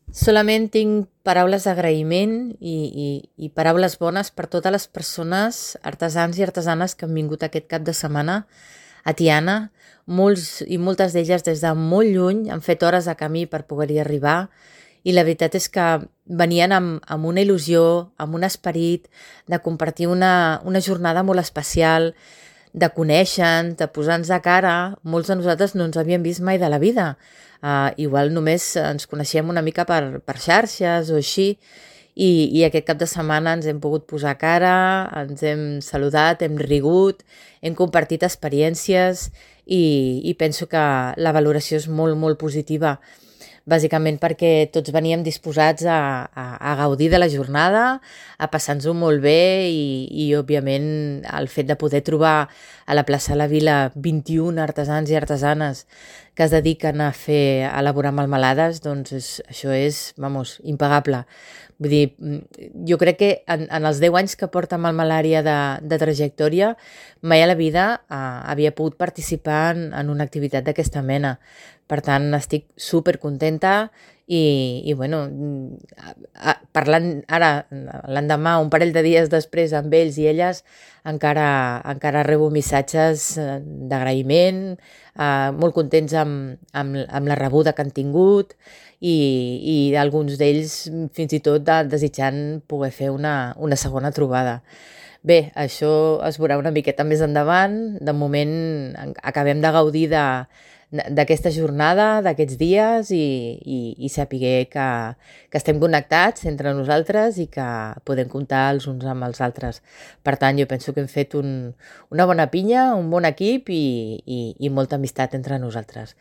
Solament tinc paraules d'agraïment i paraules bones per totes les persones, artesans i artesanes que han vingut aquest cap de setmana a Tiana. Molts i moltes d'elles des de molt lluny han fet hores de camí per poder-hi arribar i la veritat és que venien amb una il·lusió, amb un esperit de compartir una jornada molt especial, de conèixer, de posar-nos de cara. Molts de nosaltres no ens havíem vist mai de la vida. Igual només ens coneixíem una mica per xarxes o així, i aquest cap de setmana ens hem pogut posar cara, ens hem saludat, hem rigut, hem compartit experiències i penso que la valoració és molt, molt positiva. Bàsicament perquè tots veníem disposats a gaudir de la jornada, a passar-nos-ho molt bé òbviament, el fet de poder trobar a la plaça de la Vila 21 artesans i artesanes que es dediquen a elaborar melmelades, doncs això és, impagable. Vull dir, jo crec que en els 10 anys que porta Melmelària de trajectòria, mai a la vida havia pogut participar en una activitat d'aquesta mena. Per tant, estic supercontenta i bueno, parlant ara, l'endemà, un parell de dies després, amb ells i elles, encara rebo missatges d'agraïment, molt contents amb la rebuda que han tingut i alguns d'ells fins i tot desitjant poder fer una segona trobada. Bé, això es veurà una miqueta més endavant. De moment acabem de gaudir d'aquesta jornada, d'aquests dies i saber que estem connectats entre nosaltres i que podem comptar els uns amb els altres. Per tant, jo penso que hem fet una bona pinya, un bon equip i molta amistat entre nosaltres.